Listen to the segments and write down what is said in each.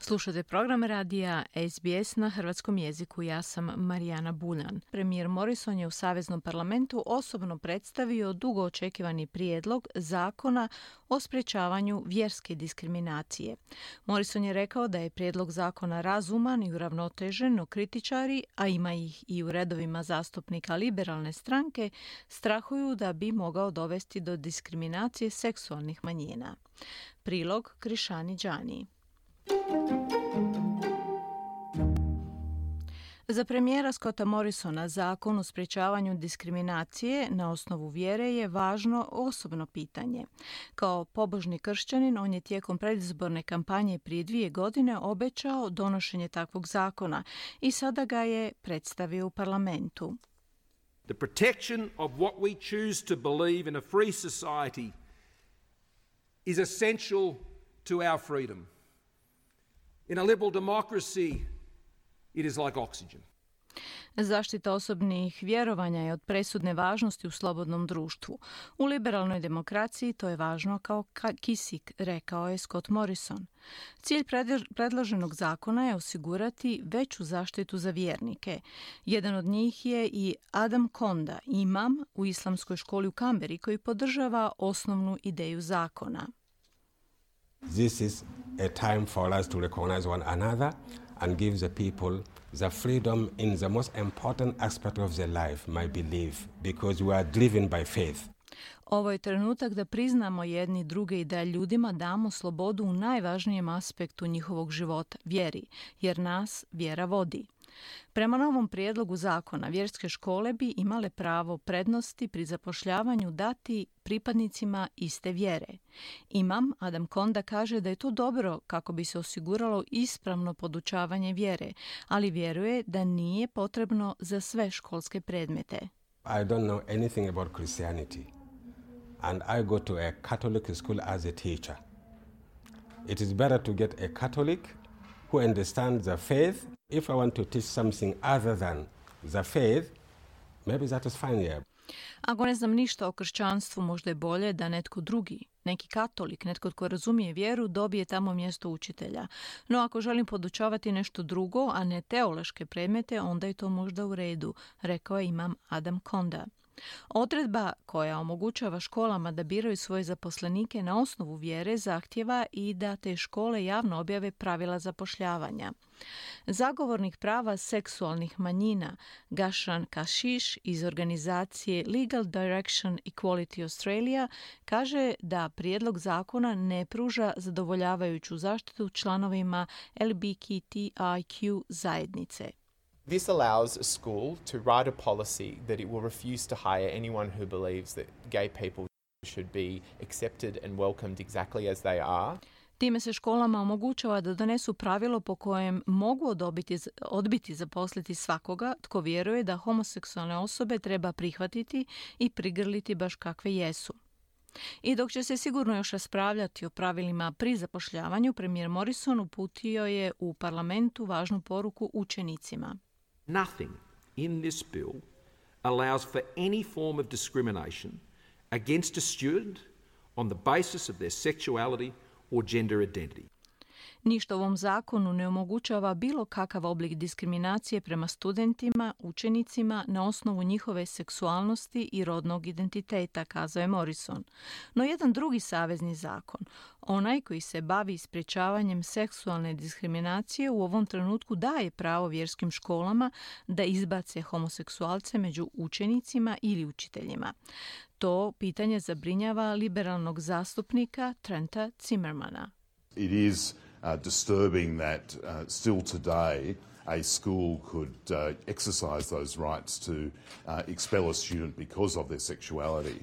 Slušate program radija SBS na hrvatskom jeziku. Ja sam Marijana Buljan. Premijer Morrison je u Saveznom parlamentu osobno predstavio dugo očekivani prijedlog zakona o sprječavanju vjerske diskriminacije. Morrison je rekao da je prijedlog zakona razuman i uravnotežen, no kritičari, a ima ih i u redovima zastupnika liberalne stranke, strahuju da bi mogao dovesti do diskriminacije seksualnih manjina. Prilog Krišani Đani. Za premijera Scotta Morrisona zakon o sprječavanju diskriminacije na osnovu vjere je važno osobno pitanje. Kao pobožni kršćanin, on je tijekom predizborne kampanje prije 2 godine obećao donošenje takvog zakona i sada ga je predstavio u parlamentu. The protection of what we choose to believe in a free society is essential to our freedom. In a liberal democracy, it is like oxygen. Zaštita osobnih vjerovanja je od presudne važnosti u slobodnom društvu. U liberalnoj demokraciji to je važno kao kisik, rekao je Scott Morrison. Cilj predloženog zakona je osigurati veću zaštitu za vjernike. Jedan od njih je i Adam Konda, imam u islamskoj školi u Kamberi, koji podržava osnovnu ideju zakona. This is a time for us to recognize one another and give the people the freedom in the most important aspect of their life, my belief, because we are driven by faith. Ovo je trenutak da priznamo jedni druge i da ljudima damo slobodu u najvažnijem aspektu njihovog života, vjeri, jer nas vjera vodi. Prema novom prijedlogu zakona, vjerske škole bi imale pravo prednosti pri zapošljavanju dati pripadnicima iste vjere. Imam Adam Konda kaže da je to dobro kako bi se osiguralo ispravno podučavanje vjere, ali vjeruje da nije potrebno za sve školske predmete. I don't know anything about Christianity, and I go to a Catholic school as a teacher. It is better to get a Catholic who understands the faith. If I want to teach something other than the faith, maybe that is fine, yeah. Ako ne znam ništa o kršćanstvu, možda je bolje da netko drugi, neki katolik, netko tko razumije vjeru, dobije tamo mjesto učitelja. No ako želim podučavati nešto drugo, a ne teološke predmete, onda je to možda u redu, rekao je imam Adam Konda. Odredba koja omogućava školama da biraju svoje zaposlenike na osnovu vjere zahtjeva i da te škole javno objave pravila zapošljavanja. Zagovornik prava seksualnih manjina Gashan Kashish iz organizacije Legal Direction Equality Australia kaže da prijedlog zakona ne pruža zadovoljavajuću zaštitu članovima LGBTIQ zajednice. This allows a school to write a policy that it will refuse to hire anyone who believes that gay people should be accepted and welcomed exactly as they are. Time se školama omogućava da donesu pravilo po kojem mogu odbiti zaposliti svakoga tko vjeruje da homoseksualne osobe treba prihvatiti i prigrliti baš kakve jesu. I dok će se sigurno još raspravljati o pravilima pri zapošljavanju, premijer Morrison uputio je u parlamentu važnu poruku učenicima. Nothing in this bill allows for any form of discrimination against a student on the basis of their sexuality or gender identity. Ništa u ovom zakonu ne omogućava bilo kakav oblik diskriminacije prema studentima, učenicima na osnovu njihove seksualnosti i rodnog identiteta, kazao je Morrison. No jedan drugi savezni zakon, onaj koji se bavi sprječavanjem seksualne diskriminacije, u ovom trenutku daje pravo vjerskim školama da izbace homoseksualce među učenicima ili učiteljima. To pitanje zabrinjava liberalnog zastupnika Trenta Zimmermana. It is disturbing that still today a school could exercise those rights to expel a student because of their sexuality.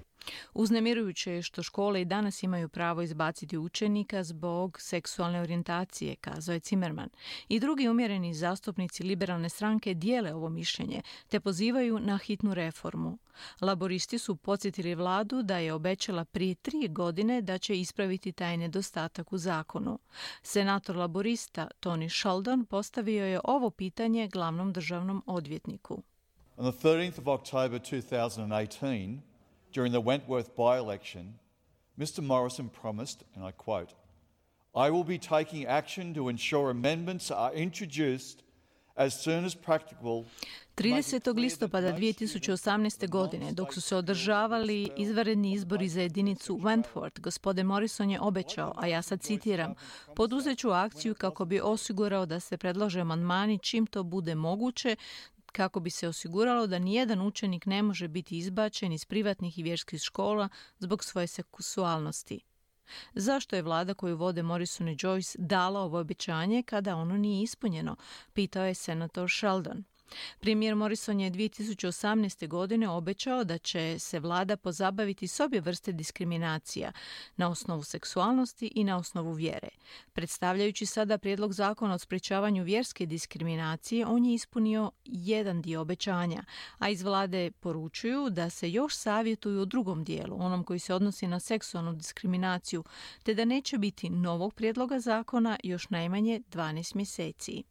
Uznemirujuće je što škole i danas imaju pravo izbaciti učenika zbog seksualne orijentacije, kazao je Zimmerman. I drugi umjereni zastupnici liberalne stranke dijele ovo mišljenje, te pozivaju na hitnu reformu. Laboristi su podsjetili vladu da je obećala prije 3 godine da će ispraviti taj nedostatak u zakonu. Senator laborista Tony Sheldon postavio je ovo pitanje glavnom državnom odvjetniku. On the 13th of October 2018, during the Wentworth by-election, Mr. Morrison promised, and I quote, I will be taking action to ensure amendments are introduced as soon as practicable. 30. listopada 2018. godine, dok su se održavali izvanredni izbori za jedinicu Wentworth, gospodin Morrison je obećao, a ja sad citiram, poduzet ću akciju kako bi osigurao da se predlože amandmani čim to bude moguće, kako bi se osiguralo da nijedan učenik ne može biti izbačen iz privatnih i vjerskih škola zbog svoje seksualnosti. Zašto je vlada koju vode Morrison i Joyce dala ovo obećanje kada ono nije ispunjeno, pitao je senator Sheldon. Premijer Morrison je 2018. godine obećao da će se vlada pozabaviti s obje vrste diskriminacija na osnovu seksualnosti i na osnovu vjere. Predstavljajući sada prijedlog zakona o sprječavanju vjerske diskriminacije, on je ispunio jedan dio obećanja, a iz vlade poručuju da se još savjetuju o drugom dijelu, onom koji se odnosi na seksualnu diskriminaciju, te da neće biti novog prijedloga zakona još najmanje 12 mjeseci.